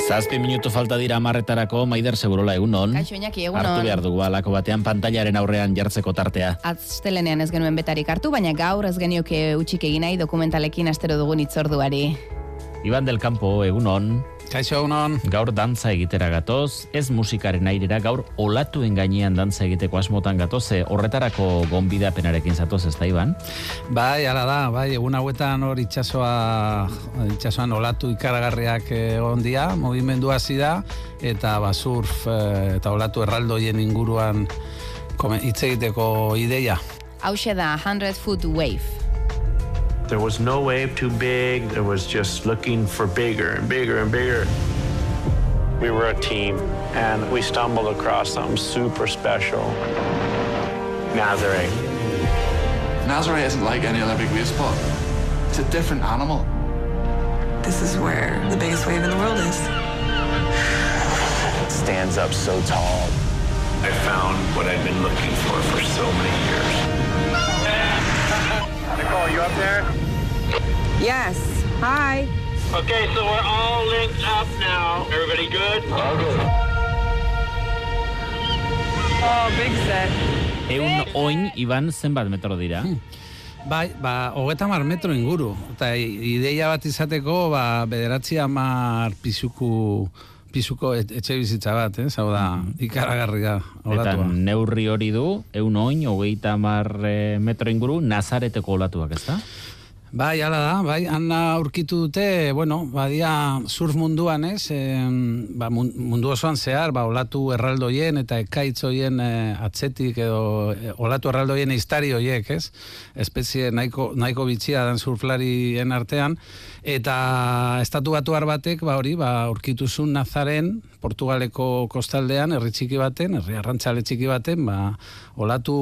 7 minutu falta dira 10:00 Maider Segurola egunon. Kaixo Iñaki, egunon. Hartu behar dugu alako batean pantailaren aurrean jartzeko tartea. Astelenean ez genuen betarik hartu, baina gaur ez genioke utxik egin nahi dokumentalekin astero dugun itzorduari. Iban del Campo, egunon. Kaixo, egunon. Gaur dantza egitera gatoz, ez musikaren airera, gaur olatuen gainean dantza egiteko asmotan gatoz, horretarako gonbidapenarekin zatoz, ez da, Iban? Bai, ala da, bai, egun hauetan hor itxasoan olatu ikaragarriak egon dira, movimendu hasi da, eta surf eta olatu erraldoien inguruan hitz egiteko ideia. Hauxe da 100-foot wave. There was no wave too big. There was just looking for bigger and bigger and bigger. We were a team, and we stumbled across something super special. Nazare. Nazare isn't like any other big wave spot. It's a different animal. This is where the biggest wave in the world is. It stands up so tall. I found what I've been looking for so many years. Nicole, you up there? Yes. Hi. Okay, so we're all linked up now. Everybody good? All good. Oh, big set. Oin, Iban, zenbat metro dira? Bai, 30 metro inguru. Eta ideia bat izateko, 9-10 pisuko etxe bizitza bat, hau da, ikaragarria olatua. Eta neurri hori du, oin, 30 metro inguru, Nazareteko olatuak, ez da? Bai, ala da, bai, han aurkitu dute, badia surf munduan, ez, mundu osoan zehar, olatu erraldoien eta ekaitzoien atzetik edo olatu erraldoien iztari horiek, ez, espezie nahiko bitxia dan surflarien artean, eta estatu batuar batek, aurkituzun Nazaren, Portugaleko kostaldean, herri arrantzale txiki baten, olatu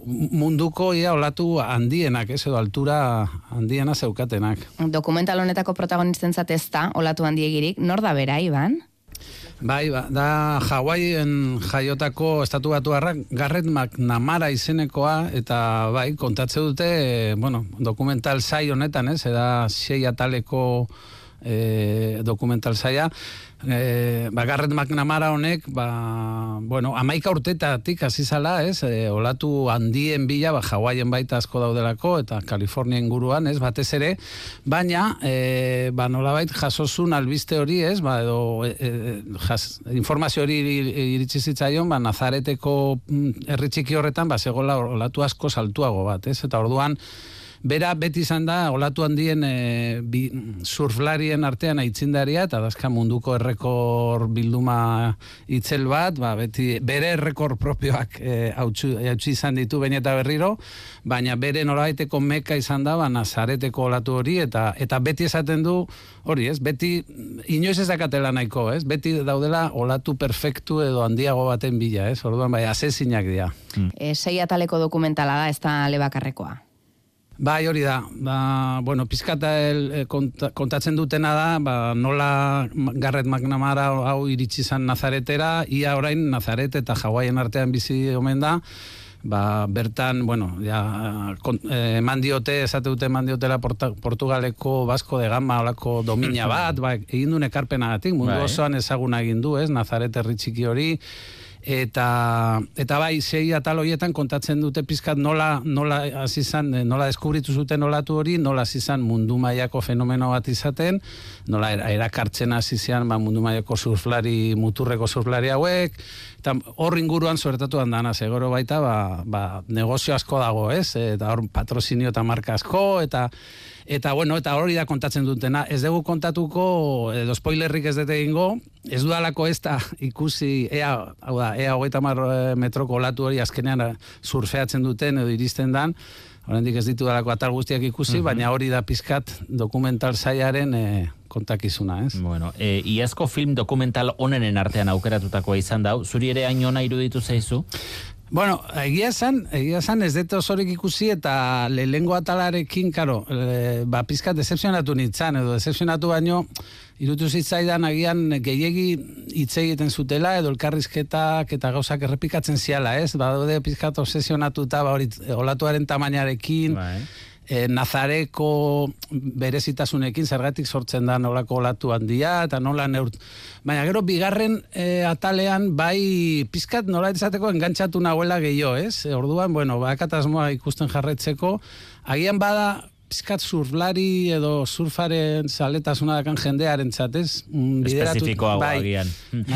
munduko, olatu handienak, ez, edo altura handiena zeukatenak. Dokumental honetako protagonistentzat ez da, olatu handiegirik, nor da bera, Iban? Bai, da Hawaien jaiotako estatu batuarrak Garrett McNamara izenekoa, eta bai, kontatze dute, dokumental sai honetan, ez, da 6 ataleko dokumental saia, Garrett McNamara honek, 11 urtetatik hasi zala, ez, olatu handien bila, Hawaien baita asko daudelako, eta Kalifornia inguruan, ez, batez ere, baina, nolabait jasozun albiste hori, ez, edo informazio hori iritsi zitzaion, Nazareteko herri txiki horretan, zegoela olatu asko saltuago bat, ez, eta orduan, bera beti izan da, olatu handien surflarien artean aitzindaria, eta dazka munduko errekor bilduma itzel bat, beti bere errekor propioak hautsi izan ditu baina eta berriro, baina bere norabaiteko meka izan da, Nazareteko olatu hori, eta beti esaten du, hori ez, beti inoiz ez dakatela nahiko, ez, beti daudela olatu perfektu edo handiago baten bila, ez, orduan asezinak dira. 6 ataleko dokumentala da, ez da lebakarrekoa. Bai, hori da. Pizkata kontatzen dutena da, nola Garrett McNamara hau iritsi zan Nazaretera, ia orain Nazaret eta Hawaien artean bizi omen da, bertan, eman diote, esate dute eman diotela Portugaleko Vasco de Gama olako domina bat, egin duen ekarpenagatik, mundu osoan ezaguna egin du, ez, Nazaret herri txiki hori, eta 6 atal horietan kontatzen dute pizkat nola hasi izan, nola deskubritu zuten olatu hori, nola hasi izan mundu mailako fenomeno bat izaten, nola erakartzen hasi izan mundu mailako surflari, muturreko surflari hauek, eta hor inguruan suertatu handana, segoro baita, negozio asko dago, ez? Eta hor patrozinio eta marka asko, eta hori da kontatzen dutena. Ez dugu kontatuko, edo spoilerrik ez dute egingo, ez dudalako ez da ikusi, ea 30 metroko olatu hori azkenean surfeatzen duten edo iristen dan, oraindik ez ditu dalako atal guztiak ikusi, baina hori da pizkat dokumental saiaren kontakizuna, ez? Iazko film dokumental onenen artean aukeratutakoa izan da, zuri ere hain ona iruditu zaizu? Egia esan ez dut osorik ikusi eta lehengo atalarekin, pizkat decepzionatu nintzen, edo decepzionatu baino, irutu zitzaidan agian gehiegi hitz egiten zutela, edo elkarrizketak eta gauzak errepikatzen ziala, ez? Daude pizkat obsesionatuta olatuaren tamainarekin, Nazareko berezitasunekin zergatik sortzen da nolako olatu handia, eta nola baina gero bigarren atalean bai pizkat nola izateko engantxatu nahuela gehiago, ez? Orduan, bueno, bakatasmoa ikusten jarretzeko, agian bada pizkat surflari edo surfaren zaletasuna dakan jendearen txatez. Espezifikoa agian.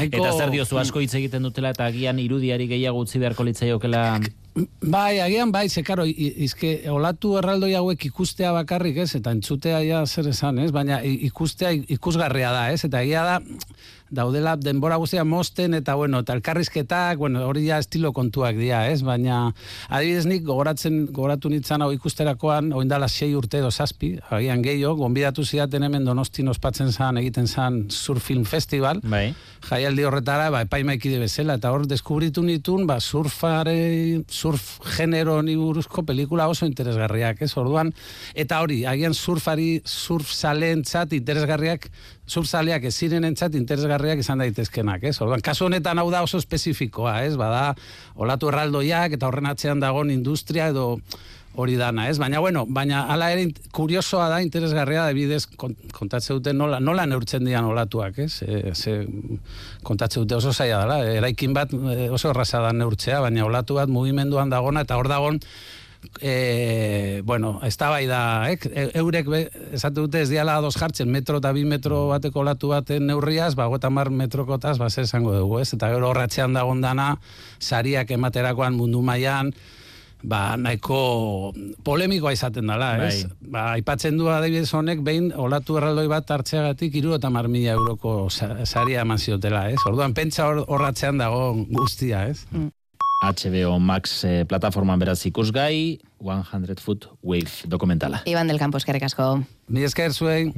Eta zer diozu asko hitz egiten dutela eta agian irudiari gehiago utzi beharko litzaiokela... Bai, agian bai, karo, izke olatu erraldoi hauek ikustea bakarrik, ez? Eta entzutea ja zer esan, ez? Baina ikustea ikusgarria da, ez? Eta egia da, daudela denbora guztia mosten, eta bueno, eta elkarrizketak, bueno, hori ja estilo kontuak dira, ez? Baina, adibidez nik gogoratu nintzen hau ikusterakoan, oindala 6 urte edo 7, agian gehiago, gonbidatu zidaten hemen Donostin ospatzen zan, egiten zan Surf Film Festival, bai. Jaialdi horretara, epaimaikide bezala, eta hor deskubritu nitun, surf genero ni buruzko pelikula oso interesgarriak, ez? Orduan, eta hori, agian surf saleentzat interesgarriak, surfzaleak ez zirenentzat interesgarriak izan daitezkenak, ez? Orduan, kasu honetan hau da oso espezifikoa, ez? Bada, olatu erraldoiak eta horren atzean dagoen industria edo hori dana, ez? Baina, bueno, hala ere kuriosoa da, interesgarria da, bidez kontatze dute nola neurtzen dian olatuak, ez? Kontatze dute oso zaila dela, eraikin bat oso erraza da neurtzea, baina olatu bat mugimenduan dagona, eta hor dagon, bueno, ez da bai da, eurek esate dute ez diala ados jartzen, metro eta 2 metro bateko olatu baten neurriaz, 50 metrokotaz, zer esango dugu, ez? Eta gero horratzean dagon dana, sariak ematerakoan mundu mailan, nahiko polemikoa izaten dela, ez? Aipatzen du adibidez honek behin olatu erraldoi bat hartzeagatik 70.000 euroko saria eman ziotela, ez? Orduan pentsa horratzean dago guztia, ez? HBO Max plataforman beraz ikusgai, 100 Foot Wave dokumentala. Iban del Campo, eskerrik asko. Mi esker zuei.